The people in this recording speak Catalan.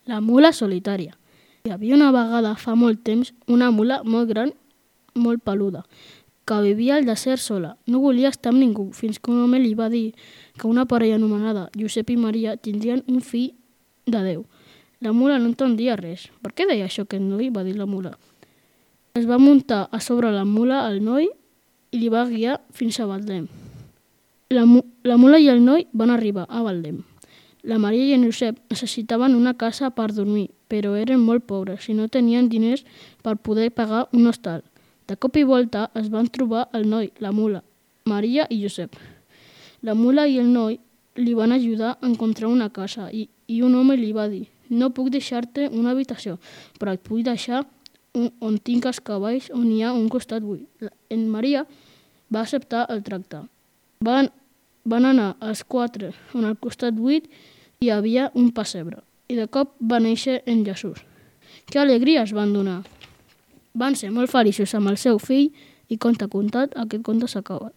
La mula solitària. Hi havia una vegada, fa molt temps, una mula molt gran, molt peluda, que vivia al desert sola. No volia estar amb ningú, fins que un home li va dir que una parella anomenada Josep i Maria tindrien un fill de Déu. La mula no entendia res. Per què deia això aquest noi? Va dir la mula. Es va muntar a sobre la mula el noi i li va guiar fins a Betlem. La mula i el noi van arribar a Betlem. La Maria i en Josep necessitaven una casa per dormir, però eren molt pobres i no tenien diners per poder pagar un hostal. De cop i volta es van trobar el noi, la mula, Maria i Josep. La mula i el noi li van ajudar a encontrar una casa i un home li va dir: no puc deixar-te una habitació, però et vull deixar on tinc els cavalls on hi ha un costat buit. En Maria va acceptar el tracte. Van anar els quatre on al costat buit hi havia un pessebre i de cop va néixer en Jesús. Que alegria es van donar! Van ser molt feliços amb el seu fill i conte contat, aquest conte s'ha acabat.